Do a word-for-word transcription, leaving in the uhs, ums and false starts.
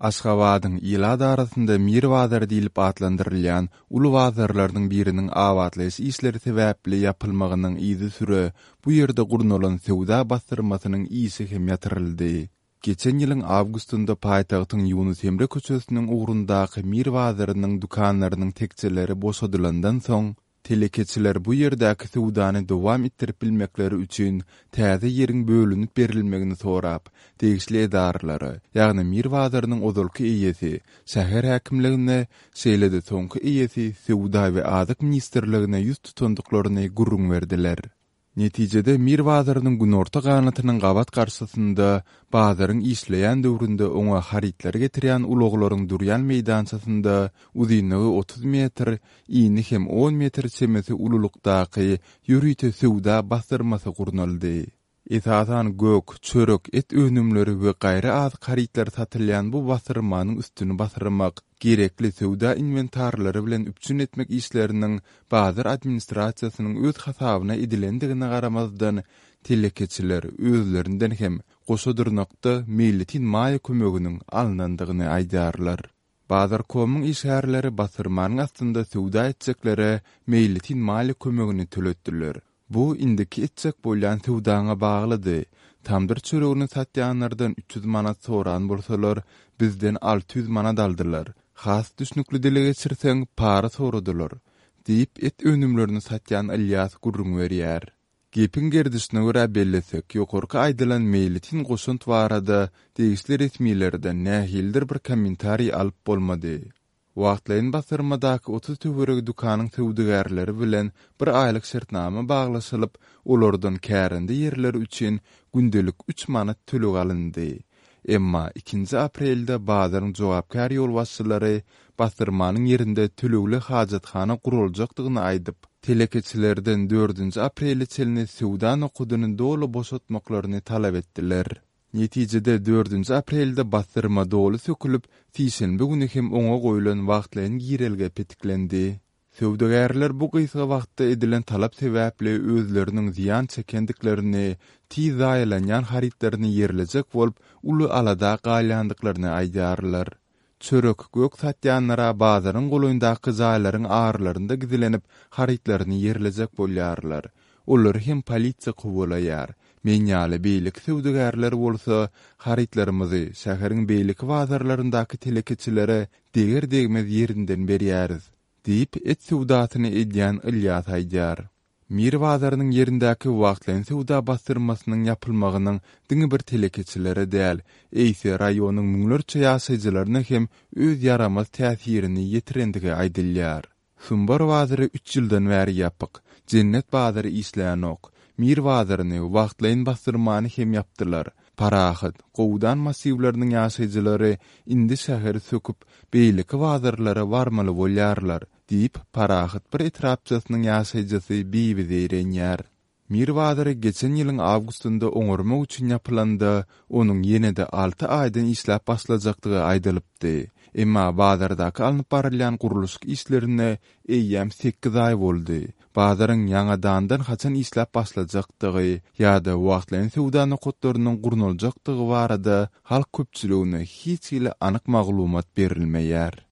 Aşgabadyň ilat arasynda Mir bazary diýlip atlandyrylýan uly bazarlarynyň biriniň abatlaýyş işleri sebäpli ýapylmagynyň yzysüre bu ýerde gurnalan söwda bassyrmasynyň işi hem ýatyryldy. Geçen ýylyň awgustynda paýtagtyň Ýunus Emre köçesiniň ugrundaky Mir bazarynyň dükanlarynyň tekjeleri boşadylandan soň, telekeçiler bu ýerdäki söwdany dowam etdirip bilmekleri üçin täze ýeriň bölünip berilmegini sorap, degişli edaralara, ýagny Mir bazarynyň ozalky eýesi, şäher häkimligine, şeýle-de soňky eýesi Söwda we azyk ministrligine ýüz tutandyklaryny gürrüň berdiler. Netijede Mir bazarynyň günorta ganatynyň gabat garşysynda bazaryň işleýän döwründe oňa harytlary getirýän ulaglaryň durýan meýdançasynda uzynlygy otuz metr, ini hem on metr çemesi ululykdaky ýörite söwda bassyrmasy gurnaldy. Esasan gök, çörek, et önümleri we gaýry azyk harytlary satylýan bu bassyrmanyň üstüni basyrmak, gerekli söwda inwentarlary bilen üpjün etmek işleriniň bazar administrasiýasynyň öz hasabyna edilendigine garamazdan, telekeçiler özlerinden hem goşa dyrnakda meýletin maýa kömeginiň alnandygyny aýdýarlar. Bazarkomyň işgärleri bassyrmanyň astynda söwda etjeklere meýletin maliýe kömegini töletdiler. Bu indiki etjek bolýan söwdaňa baglydy. Tamdyr çöregini satýanlardan üç ýüz manat soran bolsalar, bizden alty ýüz manat aldylar. Has düşnükli dile geçirseň, para soradylar, diýip, et önümlerini satýan Ylýas gürrüň berýär. Gepiň gerdişine görä bellesek, ýokarky aýdylan meýletin goşant barada degişli resmilerden nähilidir bir kommentariý alyp bolmady. Wagtlaýyn bassyrmadaky otuz töweregi dükanyň söwdagärleri bilen bir aýlyk şertnama baglaşylyp, olardan kärende ýerleri üçin gündelik üç manat töleg alyndy. Emma ikinji aprelde bazaryň jogapkär ýolbaşçylary bassyrmanyň ýerinde tölegli hajathana guraljakdygyny aýdyp, telekeçilerden dördünji aprele çenli söwda nokadyny doly boşatmaklaryny talap etdiler. Netijede dördünji aprelde bassyrma doly sökülip, sişenbe güni hem oňa goýlan wagtlaýyn girelge petiklendi. Söwdagärler bu gysga wagtda edilen talap sebäpli özleriniň zyýan çekendiklerini, tiz zaýalanýan harytlaryny ýerlejek bolup, uly alada galýandyklaryny aýdýarlar. Çörek, gök satýanlara bazaryň golaýyndaky jaýlaryň aralarynda gizlenip, harytlaryny ýerlejek bolýarlar. Olary hem polisiýa kowalaýar. Men ýaly beýleki söwdagärler bolsa harytlarymyzy şäheriň beýleki bazarlaryndaky telekeçilere deger-degmez ýerinden berýäris, diýip, et söwdasyny edýän Ylýas aýdýar. Mir bazarynyň ýerindäki wagtlaýyn söwda bassyrmasynyň ýapylmagynyň diňe bir telekeçilere däl, eýse raýonyň müňlerçe ýaşaýjylaryna hem öz ýaramaz täsirini ýetirendigi aýdylýar. Sumbar bazary üç ýyldan bäri ýapyk, Jennet bazary işlänok, Mir bazaryny, wagtlaýyn bassyrmany hem ýapdylar. Parahat, Gowdan massiwleriniň ýaşaýjylary indi şäheri söküp, beýleki bazarlara barmaly bolýarlar, diýip, Parahat bir etrapçasynyň ýaşaýjysy Bibi zeýrenýär. Mir bazary geçen ýylyň awgustynda oňarmak üçin ýapylanda, onuň ýene-de alty aýdan işläp başlajakdygy aýdylypdy. Emma bazardaky alnyp barylýan gurluşyk işlerine eýýäm sekiz aý boldy. Bazaryň ýaňadandan haçan işläp başlajakdygy ýa-da wagtlaýyn söwda nokatlarynyň gurnaljakdygy barada halk köpçüligine hiç hili anyk maglumat berilmeýär.